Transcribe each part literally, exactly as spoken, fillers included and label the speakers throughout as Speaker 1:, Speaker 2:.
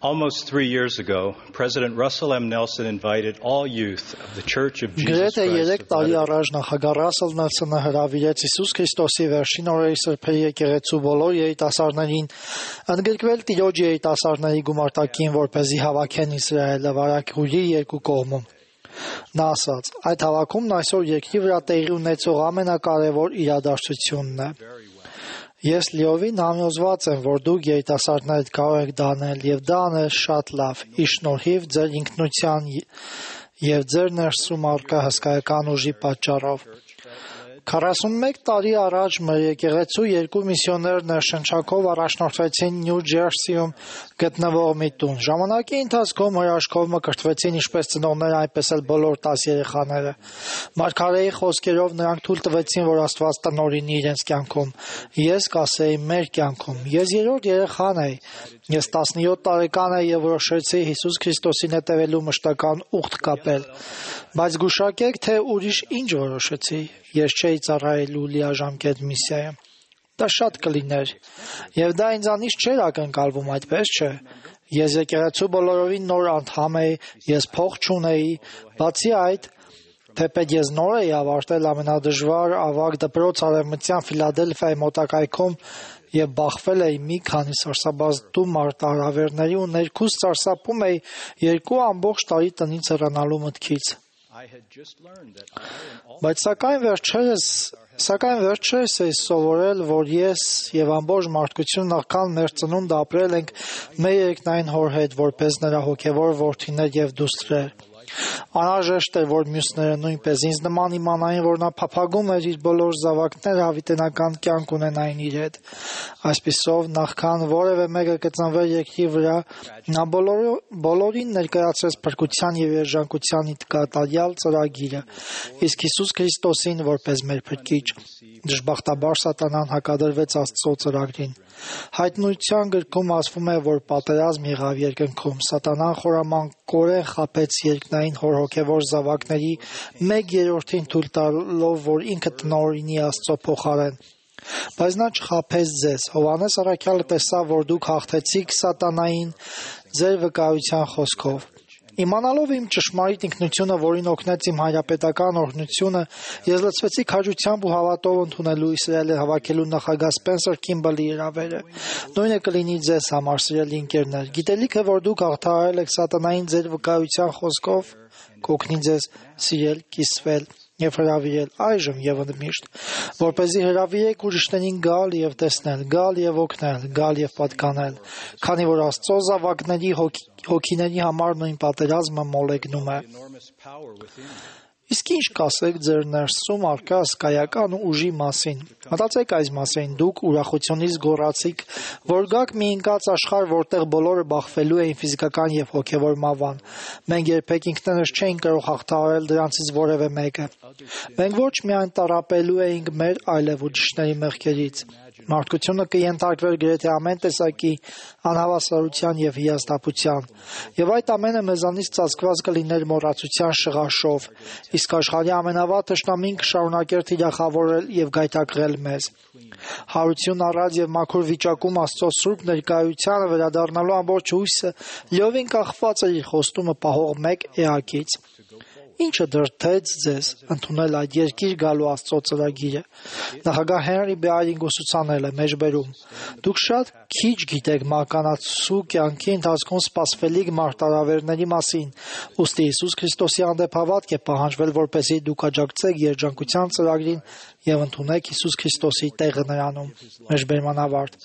Speaker 1: Almost three years ago, President Russell M. Nelson invited all youth of the Church of Jesus
Speaker 2: Գրեթե
Speaker 1: Christ
Speaker 2: երեք
Speaker 1: of
Speaker 2: տարի
Speaker 1: Latter-day
Speaker 2: առաջ նախագահ Ռասել Նելսոնը հրավիրեց Հիսուս Քրիստոսի վերջին օրերի սրբերի եկեղեցու բոլոր երիտասարդներին ընդգրկվել Տիրոջ երիտասարդների գումարտակին, որպեսզի հավաքեն Իսրայելը վարակույրի երկու կողմում։ Նա ասաց. այդ հավաքումն այսօր երկրի վրա տեղի ունեցող ամենակարևոր իրադարձությունն է։ Ես լիովին համոզված եմ, որ դուք երիտասարդներդ կարող եք դա անել, եւ դա անել շատ լավ, ի շնորհիվ ձեր ինքնության եւ ձեր ներսում առկա հսկայական ուժի պատճառով։ քառասունմեկ տարի առաջ մեր եկեղեցու երկու միսիոներ ներշնչակով առաջնորդվեցին Նյու Ջերսիում գտնվող մի տուն։ Ժամանակի ընթացքում հրաշքով մկրտվեցին ինչպես ծնողները, այնպես էլ բոլոր տաս երեխաները։ Մարգարեի խոսքերով նրանք թույլ տվեցին, որ Աստված տնօրինի իրենց կյանքում։ Ես կասեի մեր կյանքում։ Ես երրորդ երեխան էի։ Ես տասնյոթ տարեկան էի եւ որոշեցի Հիսուս Քրիստոսին հետևելու մշտական ուխտ կապել։ Բայց գուշակեք, թե ուրիշ ինչ որոշեցի։ Ես չէի ծառայելու լիաժամկետ միսիայը։ Դա շատ կլիներ։ Եվ դա ինձանից չէր ակնկալվում, այդպես չէ։ Ես եկեղեցու բոլորովին նոր անդամ էի, ես փող չունեի, բացի այդ, թեպետ ես նոր էի ավարտել ամենադժվար ավագ դպրոց Արևմտյան Ֆիլադելֆիայի մոտակայքում եւ բախվել էի մի քանի սարսափազդու մարտահրավերների ու ներքուս սարսափում էի երկու ամբողջ տարի տնից հեռանալու մտքից։ Բայց սակայն վերջերս Սակայն վերջերս էի սովորել, որ ես եւ ամբողջ մարդկությունը նախքան մեր ծնունդը ապրել ենք մեր երկնային հոր հետ, որպես նրա հոգեվոր որդիներ եւ դուստրեր։ Անհրաժեշտ էր, որ մյուսները նույնպես ինձ նման իմանային, որ նա փափագում էր իր բոլոր զավակները հավիտենական կյանք ունենային իր հետ։ Այսպիսով, նախքան որևէ մեկը կծնվեր երկրի վրա, նա բոլորին ներկայացրեց փրկության եւ երջանկության կատարյալ ծրագիրը, իսկ Հիսուս Քրիստոսին որպես մեր փրկիչ։ Դժբախտաբար Սատանան հակադրվեց Աստծո ծրագրին։ Հայտնության գրքում ասվում է, որ պատերազմ եղավ երկնքում։ Սատանան խորամանկորեն խաբեց երկնային հոր հոգևոր զավակների մեկ երրորդին թույլ տալով, որ ինքը տնօրինի Աստծո փոխարեն։ Բայց նա չխաբեց ձեզ։ Հովհաննես առաքյալը տեսավ, որ դուք հաղթեցիք Սատանային ձեր վկայության խոսքով։ Իմանալով իմ ճշմարիտ ինքնությունը, որին օգնեց իմ հայրապետական օրհնությունը, ես լցվեցի քաջությամբ ու հավատով ընդունելու Իսրայելի հավաքելու նախագահ Սպենսեր Քիմբլի հրավերը։ Նույնը կլինի ձեզ համար, սիրելի ընկերներ։ Գիտելիք է, որ դուք հաղթահարել եք Սատանային ձեր վկայության խոսքով, կօգնի ձեզ սիրել, կիսվել եւ հրավիրել այժմ եւ ընդմիշտ, որպեսզի հրավիրեք ուրիշներին գալ եւ տեսնել, գալ եւ օգնել, գալ եւ պատկանել, քանի որ Աստծո զավակների հոգիների համար նույն պատերազմը մոլեգնում է։ Իսկ ինչ կասեք ձեր ներսում առկա հսկայական ուժի մասին։ Մտածեք այս մասին, դուք ուրախությունից գոռացիք, որ գաք մի ընկած աշխարհ, որտեղ բոլորը բախվելու էին ֆիզիկական եւ հոգեվոր մավան։ Մենք երբեք ինքներս չէինք կարող հաղթահարել դրանցից որևէ մեկը։ Մենք ոչ միայն տառապելու էինք մեր, այլև ուրիշների մեղքերից։ Մարդկությունը կենթարկվեր գրեթե ամեն տեսակի անհավասարության եւ հիասթափության, եւ այդ ամենը մեզանից ծածկված կլիներ մոռացության շղաշով, իսկ աշխարհի ամենավատ թշնամին կշարունակեր թիրախավորել եւ գայթակղել մեզ։ Հարություն առած եւ մաքուր վիճակում Աստծո սուրբ ներկայությանը վերադառնալու ամբողջ հույսը լիովին կախված էր իր խոստումը պահող մեկ էակից։ Ինչը դրդեց ձեզ ընդունել այդ երկիր գալու Աստծո ծրագիրը։ Նախագահ Հենրի Բեարինգ ուսուցանել է մեջբերում. դուք շատ քիչ գիտեք մականացու կյանքի ընթացքում սպասվելիք մարտահրավերների մասին, ուստի Հիսուս Քրիստոսի հանդեպ հավատք է պահանջվել, որպեսզի դուք աջակցեք երջանկության ծրագրին եւ ընդունեք Հիսուս Քրիստոսի տեղը նրանում։ Մեջբերման ավարտ։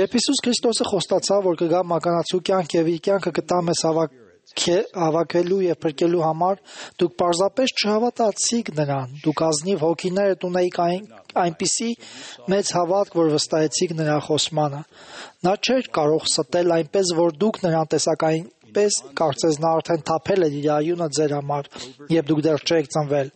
Speaker 2: Երբ Հիսուս Քրիստոսը խոստացավ, որ կգա մականացու կյանք եւ իր կյանքը կտա մեզ հավաք հավաքելու եւ փրկելու համար, դուք պարզապես չհավատացիք նրան, դուք ազնիվ հոգիներդ ունեիք այն, այնպիսի մեծ հավատք, որ վստահեցիք նրա խոսմանը։ Նա չէր կարող ստել այնպես, որ դուք նրան տեսակային պես կարծես նա արդեն թափել էր իր արյունը ձեր համար, երբ դուք դեռ չեք ծնվել։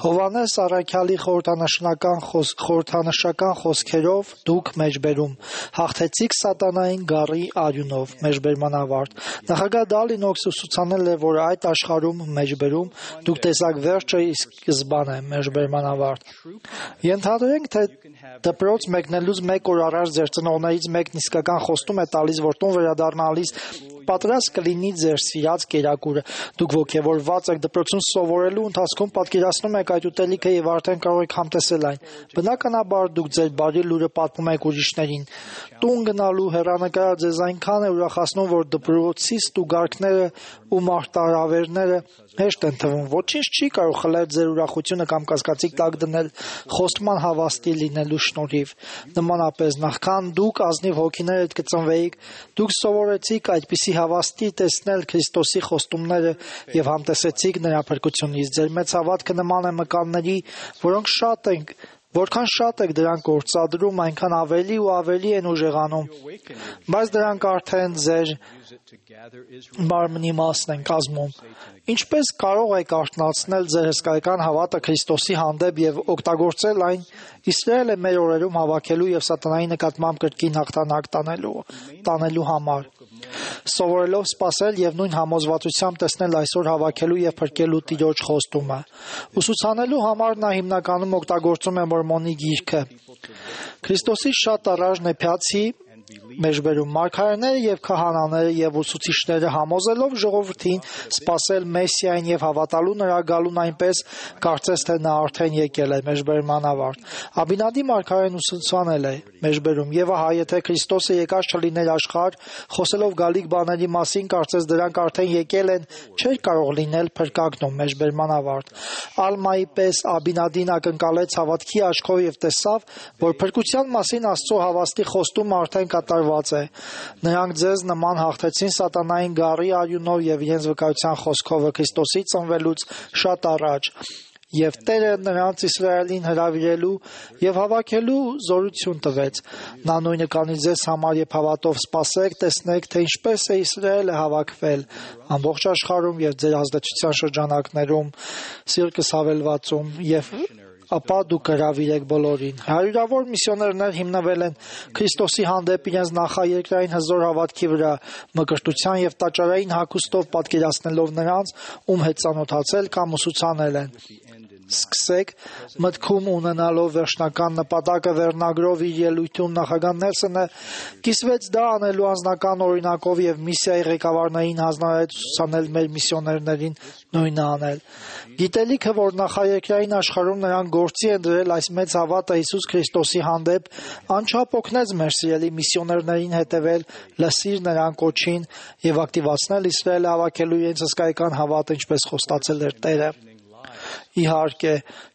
Speaker 2: Հովհաննես առաքյալի խորհրդանշական խոսք, խորհրդանշական խոսքերով դուք մեջբերում հաղթեցիք Սատանային գառի արյունով, մեջբերման ավարտ։ Նախագահ Դալինոքսը ուսուցանել է, որ այդ աշխարհում մեջբերում դուք տեսակ վերջը իսկ սկզբան է, մեջբերման ավարտ։ Ենթադրենք, թե դպրոց մեկնելուց մեկ օր առաջ ձեր ծնողներից մեկն իսկական խոստում է տալիս, որ տուն վերադառնալիս պատրաստ կլինի ձեր սիրած կերակուրը։ Դուք ոգևորված եք դպրոցում սովորելու ընթացքում պատկերացնում եք այդ ուտելիքը եւ արդեն կարող եք համտեսել այն։ Բնականաբար դուք ձեր բարի լուրը պատմում եք ուրիշներին։ Տուն գնալու հեռանկարը ձեզ այնքան է ուրախացնում, որ դպրոցի ստուգարքները ու մարտահրավերները հեշտ են թվում։ Ոչինչ չի կարող խլել ձեր ուրախությունը կամ կասկածի տակ դնել խոստման հավաստի լինելու շնորհիվ։ Նմանապես, նախքան դուք ազնիվ հոգիներ հետ կծնվեիք, դուք սովորեցիք այդպիսի հավաստի տեսնել Քրիստոսի խոստումները եւ համտեսեցիք նրա փրկությունից։ Ձեր մեծ հավատքը նման է մկանների, որոնք շատ են Որքան շատ եք դրանք գործադրում, այնքան ավելի ու ավելի են ուժեղանում, բայց դրանք արդեն ձեր մարմնի մասն են կազմում։ Ինչպես կարող եք արթնացնել ձեր հսկայական հավատը Քրիստոսի հանդեպ եւ օգտագործել այն Իսրայելը մեր օրերում հավաքելու եւ սատանայի նկատմամբ կրկին հաղթանակ տանելու տանելու համար։ Սովորելով սպասել եւ նույն համոզվածությամբ տեսնել այսօր հավաքելու եւ փրկելու Տիրոջ խոստումը։ Ուսուցանելու համար նա հիմնականում օգտագործում է Մորմոնի գիրքը։ Քրիստոսի շատ առաջ Նեփիացի մեջբերում մարգարեները եւ քահանաները եւ ուսուցիչները համոզելով ժողովրդին սпасել Մեսիային եւ հավատալու նրա գալուն այնպես, կարծես թե նա արդեն եկել է մեջբերման ավարտ։ Աբինադի մարգարեն ուսուցանել է մեջբերում եւ ահա եթե Քրիստոսը եկած չլիներ աշխարհ, խոսելով գալիք բաների մասին, կարծես դրանք արդեն եկել են, չէր կարող լինել փրկագնում մեջբերման ավարտ։ Ալմայի պես Աբինադին ակնկալեց հավատքի աչքով եւ տեսավ, որ փրկության մասին Աստծո հավաստի խոստումը արդեն կատարված է։ Նրանք ձեզ նման հաղթեցին սատանային գառի արյունով եւ իրենց վկայության խոսքով Քրիստոսի ծնվելուց շատ առաջ։ Եվ Տերը նրանց Իսրայելին հրավիրելու եւ հավաքելու զորություն տվեց։ Նա նույնը կանի ձեզ համար, երբ հավատով սպասեք, տեսնեք, թե ինչպես է Իսրայելը հավաքվել ամբողջ աշխարհում եւ ձեր ազդեցության շրջանակներում, Սիրկս հավելվածում եւ ապա դուք կհրավիրեք բոլորին։ Հարյուրավոր միսիոներներ հիմնվել են Քրիստոսի հանդեպ իրենց նախաերկրային հզոր հավատքի վրա, մկրտության եւ տաճարային հագուստով պատկերացնելով նրանց, ում հետ ծանոթացել կամ ուսուցանել են։ Սկսեք մտքում ունենալով վերջնական նպատակը վերնագրով իր ելույթում նախագահ Նելսոնը կիսվեց դա անելու անձնական օրինակով եւ միսիայի ղեկավարներին հանձնարարեց ուսուցանել մեր միսիոներներին նույնը անել։ Գիտելիքը, որ նախաերկրային աշխարհում նրանք գործի են դրել այս մեծ հավատը Հիսուս Քրիստոսի հանդեպ, անչափ օգնեց մեր սիրելի միսիոներներին հետևել, լսիր նրան կոչին եւ ակտիվացնել Իսրայելը հավաքելու իրենց հսկայական հավատը, ինչպես խոստացել էր Տերը։ Իհարկե,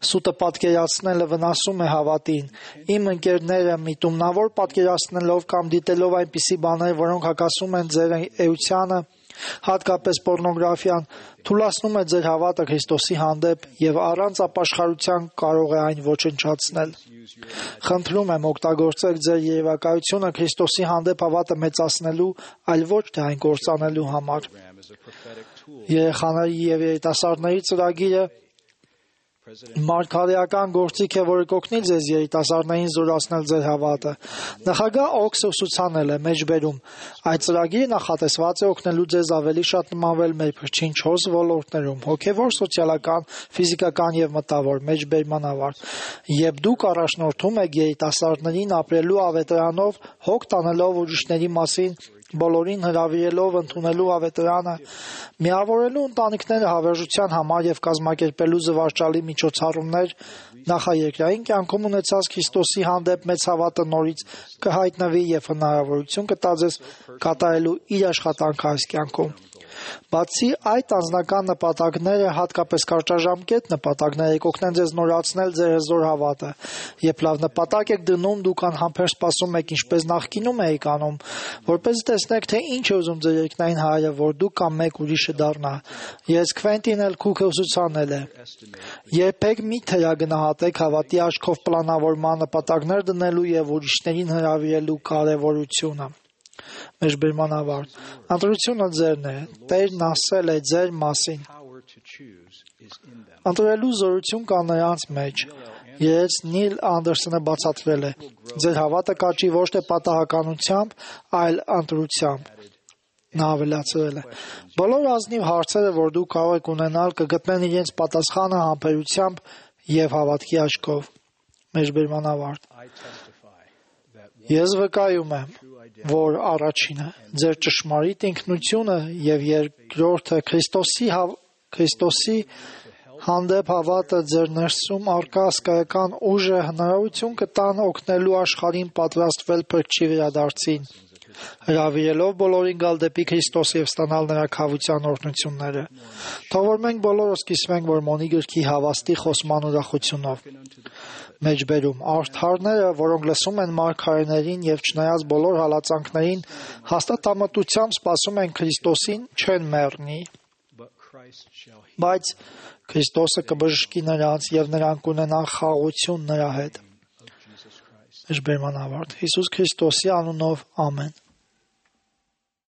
Speaker 2: սուտը պատկերացնելը վնասում է հավատին։ Իմ ընկերները միտումնավոր պատկերացնելով կամ դիտելով այնպիսի բաներ, որոնք հակասում են ձեր էությանը, հատկապես պոռնոգրաֆիան, թուլացնում է ձեր հավատը Քրիստոսի հանդեպ եւ առանց ապաշխարության կարող է այն ոչնչացնել։ Խնդրում եմ օգտագործեք ձեր երևակայությունը Քրիստոսի հանդեպ հավատը մեծացնելու, այլ ոչ թե այն կործանելու համար։ Երեխաների եւ երիտասարդների ծրագիրը մարգարեական գործիք է, որը կօգնի ձեզ երիտասարդներին զորացնել ձեր հավատը։ Նախագահ Օքսը ուսուցանել է մեջբերում։ Այդ ծրագիրը նախատեսված է օգնելու ձեզ ավելի շատ նմանվել մեր փրկչին չորս ոլորտներում՝ հոգևոր, սոցիալական, ֆիզիկական եւ մտավոր մեջբերման ավարտ։ Երբ դուք առաջնորդում եք երիտասարդներին ապրելու ավետարանով, հոգ տանելով ուրիշների մասին, բոլորին հրավիրելով ընդունելու ավետարանը, միավորելու ընտանիքները հավերժության համար եւ կազմակերպելու զվարճալի միջոցառումներ, նախաերկրային կյանքում ունեցած Քրիստոսի հանդեպ մեծ հավատը նորից կհայտնվի եւ հնարավորություն կտա ձեզ կատարելու իր աշխատանքը այս կյանքում։ Բացի այդ անձնական նպատակները, հատկապես կարճաժամկետ նպատակները կօգնեն ձեզ նորացնել ձեր հզոր հավատը։ Երբ լավ նպատակ եք դնում, դուք անհամբեր սպասում եք, ինչպես նախկինում էիք անում, որպես տեսնեք, թե ինչ է ուզում ձեր երկնային Հայրը, որ դուք կամ մեկ ուրիշը դառնա։ Ես Քվենտին էլ Քուքը ուսուցանել է։ Երբեք մի թերագնահատեք հավատի աչքով պլանավորման նպատակներ դնելու եւ ուրիշներին հրավիրելու կարեւորությունը։ Մեջբերման ավարտ։ Ընտրությունը ձերն է։ Տերն ասել է ձեր մասին։ Ընտրելու զորություն կա նրանց մեջ։ Ես Նիլ Անդերսոնը բացատրել է։ Ձեր հավատը կաճի ոչ թե պատահականությամբ, այլ ընտրությամբ։ Նա ավելացրել է։ Բոլոր ազնիվ հարցերը, որ դուք կարող եք ունենալ, կգտնեն իրենց պատասխանը համբերությամբ եւ հավատքի աչքով։ Մեջբերման ավարտ։ Ես վկայում եմ, որ առաջինը ձեր ճշմարիտ ինքնությունը եւ երկրորդը Քրիստոսի հավ, Քրիստոսի հանդեպ հավատը ձեր ներսում արկա հսկայական ուժը հնարավորություն կտան օգնելու աշխարհին պատրաստվել փրկչի վերադարձին, հրավիրելով բոլորին գալ դեպի Քրիստոս եւ ստանալ նրա քավության օրհնությունները։ Թող որ մենք բոլորս կիսվենք Մորմոնի գրքի հավաստի խոսման ուրախությունով։ Մեջբերում արդարները, որոնք լսում են մարգարեներին եւ չնայած բոլոր հալածանքներին հաստատամտությամբ սպասում են Քրիստոսին, չեն մեռնի, բայց Քրիստոսը կբժշկի նրանց եւ նրանք կունենան խաղաղություն նրա հետ։ Մեջբերման ավարտ։ Հիսուս Քրիստոսի անունով ամեն։